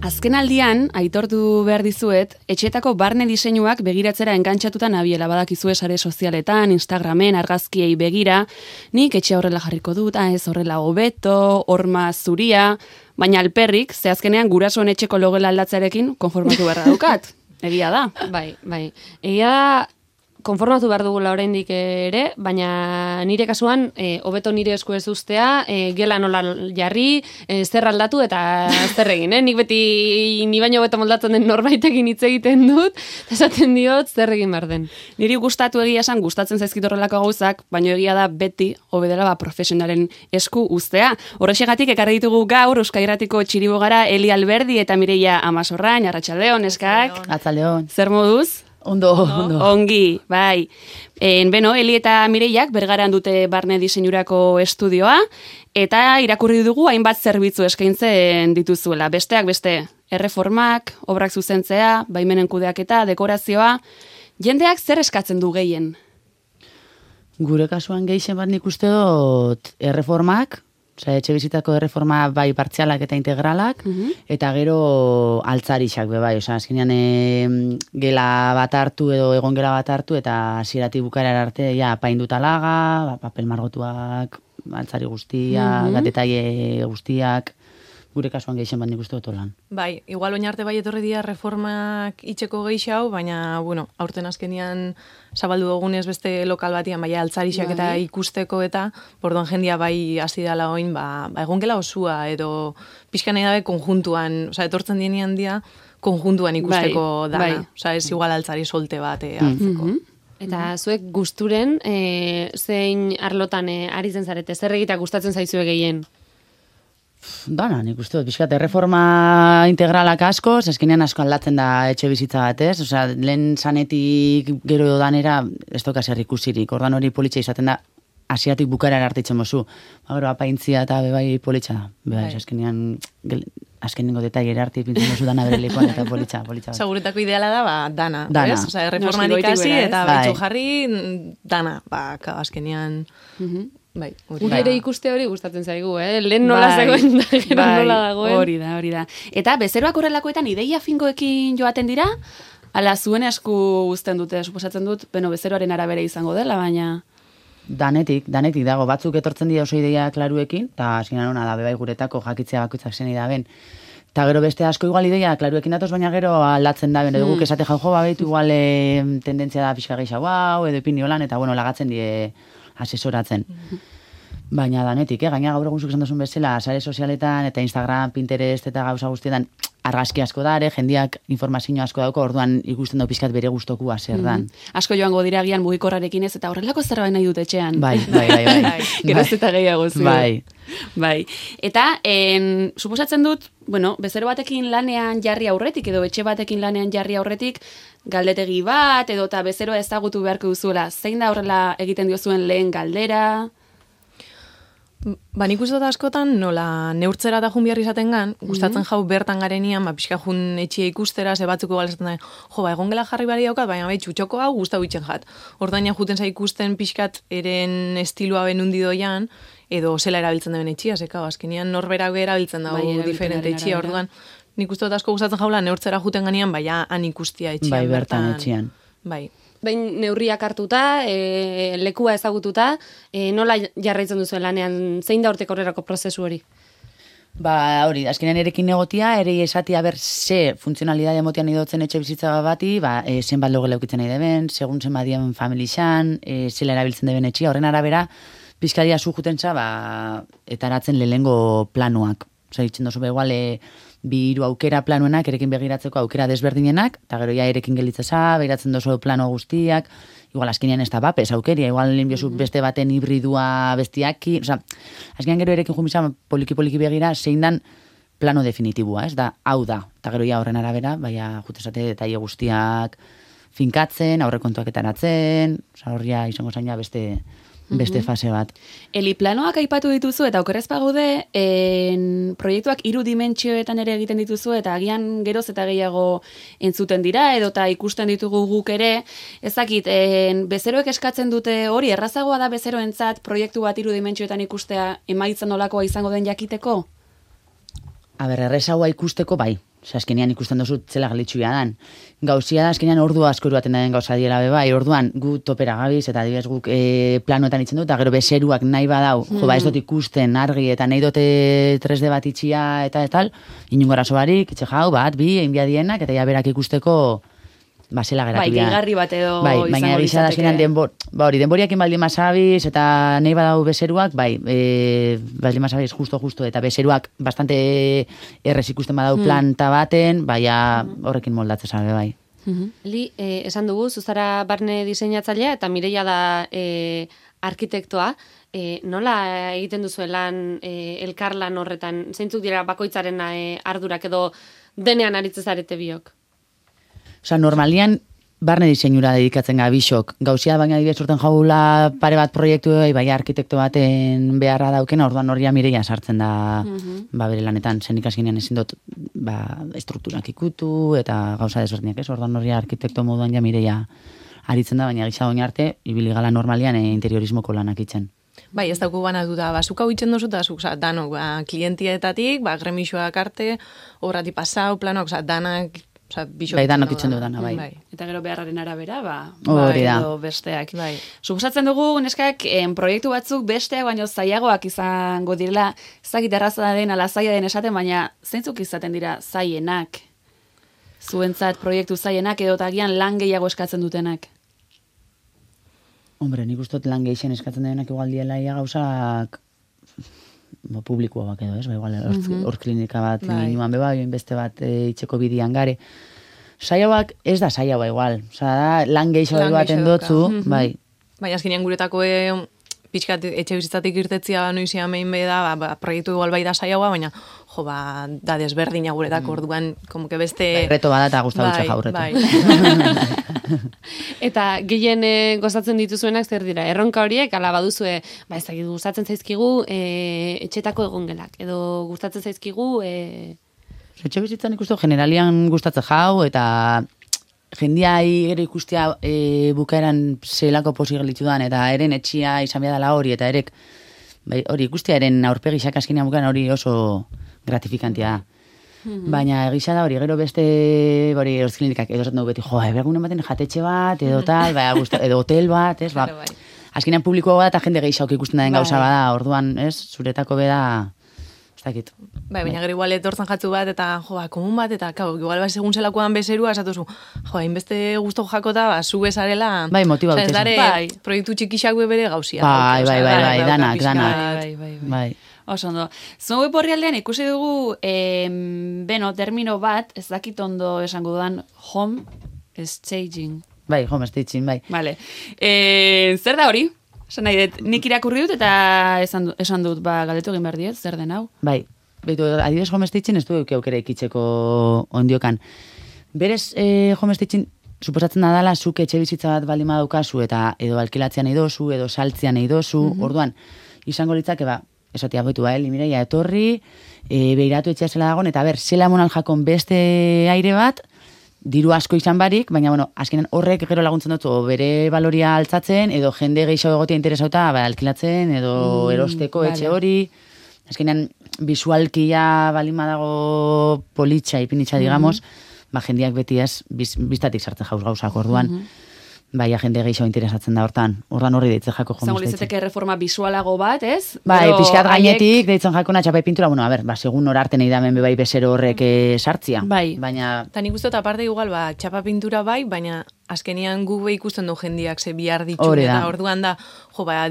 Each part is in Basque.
Azken aldian, aitortu behar dizuet, etxetako barne diseinuak begiratzera engantxatuta nabiela badakizue sare sozialetan, Instagramen, argazkiei begira, nik etxea horrela jarriko dut, ez horrela hobeto, horma zuria, baina alperrik, ze azkenean gurasoen etxeko logela aldatzarekin konformatu beharra daukat. Egia da. Bai. Egia da, konformatu behar dugula oraindik ere, baina nire kasuan, hobeto nire esku ez ustea, gela nola jarri, zer aldatu eta zer egin, Nik beti ni baino hobeto moldatzen den norbaitekin hitz egiten dut, esaten diot zer egin behar den. Niri gustatu egia esan, gustatzen zaizkit horrelako gauzak, baina egia da beti hobedela profesionalen esku uztea. Horrexegatik ekarri ditugu gaur Euskadi Irratiko txiribogara Eli Alberdi eta Mireia Amasorrain, arratsaldeon eskak. Arratsaldeon. Zer moduz? Ondo. Ongi, bai. Eli eta Mireiak Bergaran dute barne diseinurako estudioa, eta irakurri dugu hainbat zerbitzu eskaintzen dituzuela. Besteak beste, erreformak, obrak zuzentzea, baimenen kudeaketa, dekorazioa. Jendeak zer eskatzen du gehien? Gure kasuan gehien bat nik uste dut erreformak, etxe bizitako erreforma bai partzialak eta integralak, eta gero altzarixak bai, azkenean gela bat hartu edo egon gela bat hartu, eta hasieratik bukaera arte apainduta laga, papel margotuak, altzari guztiak, gatetaile guztiak, gure kasuan gehien bat nik uste dut lan. Bai, igual oin arte bai etorri dira reformak itxeko geixau, baina, aurten azkenian zabaldu dugunez beste lokal batian, bai altzarixak eta ikusteko eta, borduan jendia bai hasi dala oin, egon gela osua, edo pixka nahi dabe konjuntuan, etortzen dienean dia, konjuntuan ikusteko dana. Ez igual altzari solte bat hartzeko. Eta zuek gusturen, zein arlotan ari zen zarete, zer egitea gustatzen zaizue gehien? Dana, nik uste dut, pixkat, erreforma integralak asko, eskenean asko aldatzen da etxe bizitza batez, lehen sanetik gero danera, ez toka zer ikusirik, ordan hori politxa izaten da, hasiatik bukaera artitzen mozu. Gero, apaintzia eta bebai politxa da. Azkenengo detailera arte pintzen mozu dana bere lekuan eta politxa. Seguretako ideala da, dana. Erreformarik hasi eta betxu jarri, dana. Azkenean... Gure ere ikuste hori gustatzen zaigu, lehen nola zegoen da, gero nola dagoen. Hori da. Eta bezeroak horrelakoetan ideia finkoekin joaten dira, ala zuen esku uzten dute, suposatzen dut, bezeroaren arabera izango dela, baina... Danetik dago, batzuk etortzen dira oso ideia klaruekin, eta azkenean hona da, bebai guretako jakitzea bakoitzak zen idaben. Eta gero beste asko igual ideia klaruekin datoz, baina gero aldatzen da, edo guk esate jau baitu igual tendentzia da pixka gehiago edo epiniolan, eta lagatzen die asesoratzen. Baina danetik, gaina gaur egun zuk esan duzun bezala, sare sozialetan eta Instagram, Pinterest eta gauza guztietan argazki asko da, jendiak informazio asko dauko, orduan ikusten dau pixkat bere gustokua zer dan. Asko joango dira gian mugikorrarekin ez, eta horrelako zerbait nahi dut etxean. Bai. Geroz eta gehiago zu. Bai. Eta, suposatzen dut, bezero batekin lanean jarri aurretik, edo etxe batekin lanean jarri aurretik, galdetegi bat, edo eta bezeroa ezagutu beharko duzuela. Zein da horrela egiten diozuen lehen galdera? Nik uste dut askotan, nola neurtzera da jun behar izaten gan, gustatzen jau bertan garenian, pixka jun etxia ikustera, ze batzuko galezaten da, egon gela jarri bari daukat, baina txutxoko hau gustau itxen jat. Ordaina juten za ikusten pixkat eren estilua benundi doian, edo zela erabiltzen da ben etxia, zeka, azkenean norberak erabiltzen dago diferente etxia, orduan, nik uste dut asko gustatzen jaula neurtzera juten ganean, baina han ikustia etxian. Bai, bertan etxian. Bai. Behin neurriak hartuta, lekua ezagututa, nola jarraitzen duzuen lanean, zein da hortek horrerako prozesu hori? Hori, azkenean erekin negotia, ere esatia ze funtzionalidade motian idotzen etxe bizitza bati, zenbat logela eukitzen nahi deben, segun zen badien familixan, zela erabiltzen deben etxia, horren arabera, pizkaria zujuten za, eta aratzen lehengo planuak. Osa, ditzen dozu igual, bi hiru aukera planuenak, erekin begiratzeko aukera desberdinenak, eta gero ja erekin gelitzeza, begiratzen dozu plano guztiak, igual azkenean ez da bapes aukeria, igual linbiozu beste baten hibridua bestiaki, oza, azkenean gero erekin jumisa poliki begira, zein dan plano definitibua, ez da, hau da, eta gero ja horren arabera, baina jutezate detaile guztiak finkatzen, aurrekontuak etaratzen, oza, horria izango zaina beste fase bat. Eli planoak aipatu dituzu eta okerrez pagude, proiektuak 3 dimentsioetan ere egiten dituzu eta agian geroz eta gehiago entzuten dira edota ikusten ditugu guk ere. Ezakit, bezeroek eskatzen dute hori, errazagoa da bezeroentzat proiektu bat 3 dimentsioetan ikustea emaitzen nolakoa izango den jakiteko? errezagoa ikusteko bai. Osea, azkenean ikusten duzu zela galitxuia dan. Gauzia da, azkenean ordu asko eruaten den gauza diela bai. Orduan, gu topera gabiz, eta adibidez guk planoetan itzen dut, eta gero bezeruak nahi badau, ez dut ikusten argi, eta nahi dute 3D bat itxia, eta tal, inungo arazo barik, itxe jau, bat, bi, egin biadienak, eta ja berak ikusteko, zela geratu. Bai, gehigarri bat edo baina egisa da azkenean denboriak inbaldi masabiz, eta nahi badau bezeruak, baldi masabiz justo, eta bezeruak bastante errez ikusten badau planta baten, horrekin moldatzen zabe, bai. Li, esan dugu, zuzara barne diseinatzailea, eta Mireia da arkitektoa, nola egiten duzu lan elkarlan horretan, zeintzuk dira bakoitzaren ardurak edo denean aritzezarete biok? Osa, normalian, barne diseinura dedikatzen gabixok. Gauzia baina dibet sorten jaula pare bat proiektu bai arkitekto baten beharra daukena, orduan horria Mireia sartzen da bere lanetan. Zen ikasginean ezin dut estrukturak ikutu eta gauza desberdinak ez. Orduan horria arkitekto moduan ja Mireia aritzen da, baina gisa doin arte, ibili gala normalian interiorismoko lanak itzen. Bai, ez dauku bana duda, zuk hau itzen duzu, eta zuk, danok, klientietatik, gremixoak arte, obrati pasau, planok, danak, bai, danok itzen du dana, bai. Eta gero beharraren arabera, hori da. Edo besteak. Suposatzen dugu, neskak, proiektu batzuk besteak baino zailagoak izango direla, ezagit erraza den, ala zaila den esaten, baina zeintzuk izaten dira zaienak? Zuentzat proiektu zaienak edo tagian lan gehiago eskatzen dutenak? Hombre, nik ustot lan gehixen eskatzen denak igual diela gauzak publikoa bak edo, ez? Igual, hor klinika bat inuan beba, beste bat itxeko bidian gare. Saiauak ez da saiaua igual. Osa, da, lan geixo baten dotzu, bai. Baina azkenean guretako pixkat etxe bizitzatik irtetzia noizian behin da, proiektu igual bai da saiaua, baina da desberdina guretako orduan, como que beste... Reto bada eta guztabutxa jaurretu. Eta gehien gozatzen dituzuenak zer dira? Erronka horiek, ala baduzue, ez dakit gustatzen zaizkigu etxetako egongelak, edo gustatzen zaizkigu... Etxe bizitzan ikustu generalian gustatzen jau, eta jendiai gero ikustea bukaeran zelako posibilitu dan, eta eren etxia izan behar hori, eta erek hori ikustea eren aurpegixak askinean bukaeran hori oso gratifikantia da. Baina egisa da hori, gero beste hori erosklinikak edo zaten dugu beti, ebergunen baten jatetxe bat, edo tal, edo hotel bat, ez, azkenean publikoa da eta jende gehiago ikusten da den gauza bada, orduan, ez, zuretako beda, ez dakit. Baina gero igual etortzen jatzu bat, eta komun bat, eta igual segun zelakoan bezerua, esatuzu, hainbeste guztu jakota, zu bezarela, motiba ez dare, proiektu txikixak bere gauzia. Bai, danak. Oso ondo. Zuen web orrialdean ikusi dugu, termino bat, ez dakit ondo esango dudan, home staging. Bai, home staging, bai. Vale. Zer da hori? Esan nahi dut, nik irakurri dut eta esan dut, galdetu egin behar diet, zer den hau? Bai, behitu, adibidez home staging ez du eukera ikitzeko ondiokan. Berez, home staging, suposatzen da dala, zuk etxe bizitza bat baldin badaukazu, eta edo alkilatzean nahi dozu, edo saltzean nahi dozu, orduan, izango litzake, esatia boitu, Mireia etorri, behiratu etxea zela dagoen, eta zela monal jakon beste aire bat, diru asko izan barik, baina, azkenean horrek gero laguntzen dut, bere baloria altzatzen, edo jende gehiago egotia interesauta, alkilatzen, edo erosteko etxe hori, azkenean visualkia balima dago politxa, ipinitxa, digamos, jendiak beti ez, biztatik sartzen jauz gauzak orduan, bai, jende gehiago interesatzen da hortan. Ordan horri deitzen jako Zango lizeteke reforma visualago bat, ez? Bai, pixkat gainetik deitzen jakona txapai pintura, segun norarte nahi damen bebai bezero horrek sartzia. Bai. Baina... Ta nik uste aparte igual, txapa pintura bai, baina azkenian gu ikusten du jendiak ze bihar ditu, eta orduan da,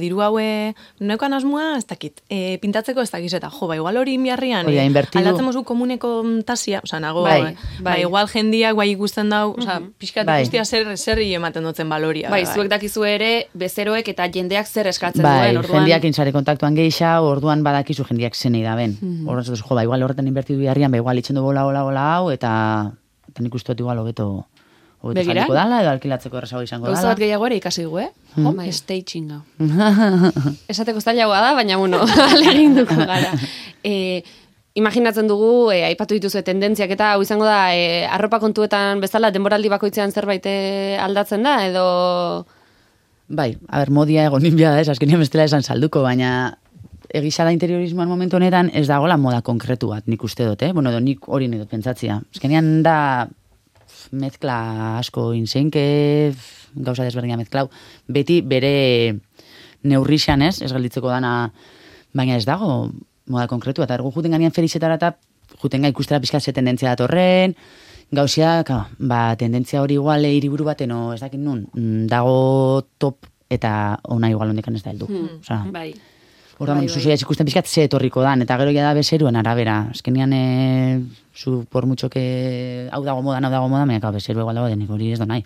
diru haue, neukan asmoa, ez dakit, pintatzeko ez dakiz, eta igual hori inbiarrian, aldatzen mozu komuneko tasia, nago, igual jendiak ikusten dau, pixkat ikustia zer ematen dutzen baloria. Bai, zuek dakizu ere, bezeroek eta jendeak zer eskatzen duen, orduan. Jendiak insare kontaktuan geisha, orduan badakizu jendiak zenei da ben. Orduan zatuz, igual horretan inbertidu biharrian, igual itxen du bola hau, eta nik uste dut igual hobeto jarriko dala, edo alkilatzeko errazago izango dala. Gauza bat gehiago ere ikasi dugu, Home staging. Esateko zailagoa da, baina, alegin duko gara. Imaginatzen dugu, aipatu dituzu tendentziak eta hau izango da, arropa kontuetan bezala, denboraldi bakoitzean zerbait aldatzen da, edo... Bai, modia egon ninbia da, azkenean bestela esan salduko, baina egisa da interiorismoan momentu honetan ez dagoela moda konkretu bat, nik uste dut, Bueno, nik hori nahi dut pentsatzia. Ezkenean da mezkla asko inseinke, gauza desberdina mezklau, beti bere neurrixan ez gelditzeko dana, baina ez dago moda konkretu, eta ergo juten ganean ferizetara eta juten ikustera pixka ze tendentzia datorren, gauzia, tendentzia hori igual hiriburu baten, ez dakit nun, dago top eta ona igual hondekan ez da heldu. Bai. Orduan, zuzuia ikusten pixkat ze etorriko dan, eta gero ja da bezeruen arabera. Azkenean, zu por mucho que hau dago moda, baina bezeru egual dago denik hori ez da nahi.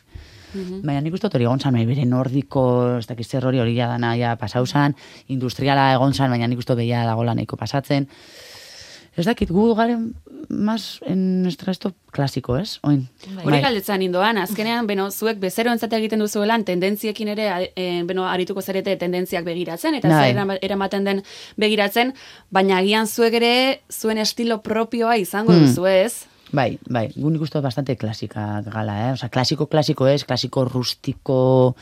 Baina nik uste hori egon zan, bere nordiko, ez dakiz zer hori ja dana ja pasau zan, industriala egon zan, baina nik uste behia dago nahiko pasatzen. Ez dakit, gu garen más en nuestra esto klasiko, ez? Hori galdetzan indoan, azkenean, zuek bezero entzate egiten duzuelan, tendentziekin ere, arituko zarete tendentziak begiratzen, eta zer eramaten den begiratzen, baina agian zuek ere, zuen estilo propioa izango duzu, ez? Bai, gu nik uste bastante klasika gala, Osa, klasiko ez, klasiko rustiko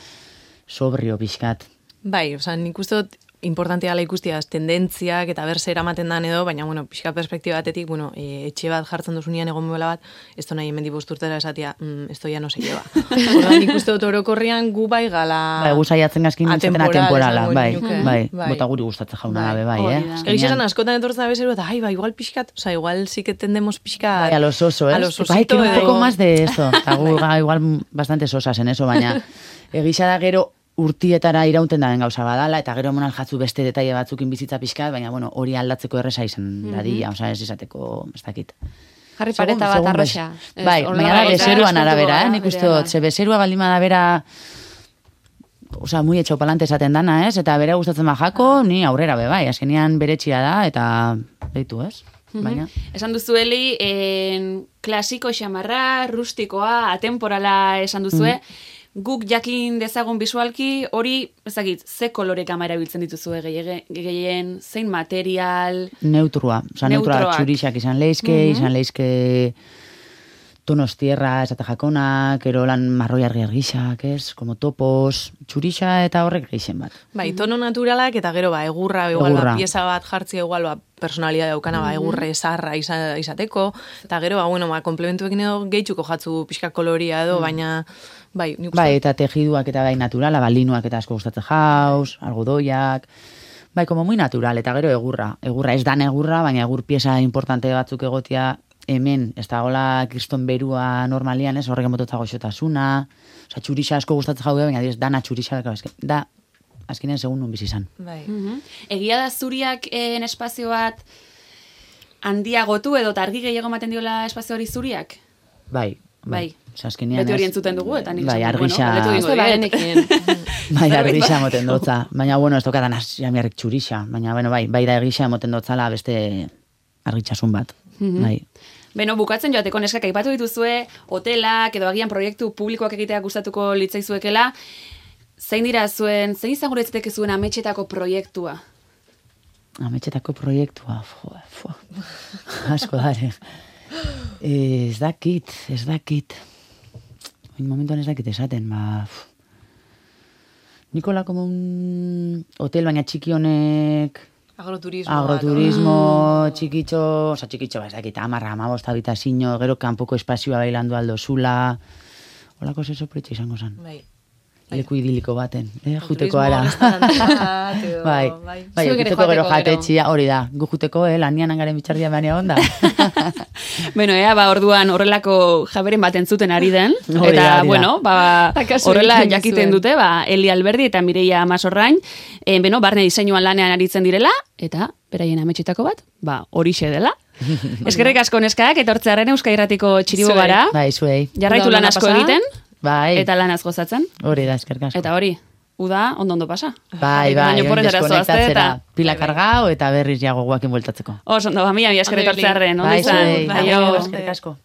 sobrio pixkat. Bai, osa, nik uste dut importantia gala ikustiaz tendentziak eta berse eramaten dan edo, baina, pixka perspektiba batetik, etxe bat jartzen duzunean egon bela bat, ez da nahi hemen dibosturtera esatia, esto ya no se lleva. Horda, nik uste dut orokorrian gu bai gala... Bai, gu saiatzen gazkin nintzen atemporala, bai, bota guri gustatzen jauna dabe, bai, Egizan, askotan etortzen da bezeru, eta, igual pixkat, oza, igual sí que tendemos pixkat... Bai, a los oso, Bai, que un poco más de esto. Gu, igual, bastante sosas en eso, baina, egisa da gero, urtietara iraunten daben gauza badala, eta gero monal jatzu beste detaile batzukin bizitza pixkat, baina, hori aldatzeko erresa izan dadila, ez izateko, ez dakit. Jarri pareta bat arroxa. Bai, baina da bezeruan arabera, nik uste dut, ze bezerua baldima da bera, muy etxau palante esaten dana, eta bere gustatzen bajako, ni aurrera bai, azkenean bere txia da, eta behitu, ez? Baina. Esan duzueli, klasiko xamarra, rustikoa, atemporala esan duzue, guk jakin dezagun bisualki, hori, ezagit, ze kolore kamera biltzen dituzu gehien, zein material... Neutrua, txurixak izan leizke, tonos tierra, esate jakonak, ero lan marroi argixak, como topos, txurixa eta horrek geixen bat. Bai, tono naturalak eta gero egurra, pieza bat jartzi egual, personalidad daukana, egurre zarra izateko, eta gero, komplementuekin edo gehitxuko jatzu pixka koloria edo, baina... Bai, eta tejiduak eta bai naturala, linuak eta asko gustatzen jauz, algodoiak, bai, como muy natural, eta gero egurra ez dan egurra, baina egur pieza importante batzuk egotia, hemen, ez da gola kriston berua normalian, ez horrek emototza goxotasuna, oza, txurixa asko gustatzen jau, baina dana txurixa, da, azkenean segun nun bizizan. Bai. Egia da zuriak espazio bat handiagotu edo argi gehiago maten diola espazio hori zuriak? Bai. Beti hori entzuten dugu, eta nik argixa... Bai, argixa moten dotza. Baina, ez tokadan jamiarrik txurixa. Baina, bai da argixa moten dotzala beste argitxasun bat. Bai. Beno, bukatzen joateko neskak aipatu dituzue, hotelak edo agian proiektu publikoak egitea gustatuko litzaizuekela. Zein izango retzateke zuen ametxetako proiektua? Ametxetako proiektua, asko dare. Ez dakit. En momentuan ez dakit esaten, Nikola como un hotel, baina txiki honek... Agroturismo, txikitxo, ez dakit, 10-15 habitazio, gero kanpoko espazioa bailando aldo zula, holako zeso proiektu izango zen. Leku idiliko baten, juteko ara. Bai, juteko gero jatetxia, hori da, gu juteko, lanian angaren bitxardia baina onda. Bueno, orduan horrelako jaberen bat entzuten ari den, eta, horrela jakiten dute, Eli Alberdi eta Mireia Masorrain, barne diseinuan lanean aritzen direla, eta beraien ametxetako bat, horixe dela. Eskerrik asko neskak, etortzearen Euskal Irratiko txiribo gara. Bai, zuei. Jarraitu lan asko egiten. Bai. Eta lanaz gozatzen. Hori da, eskerrik asko. Eta hori, uda ondo pasa. Bai, deskonektatzera. Pila kargao eta berriz jago guakin bueltatzeko. Oso, ondo, mila eskerrik hartzearen. Bai, zuei. Eskerrik asko.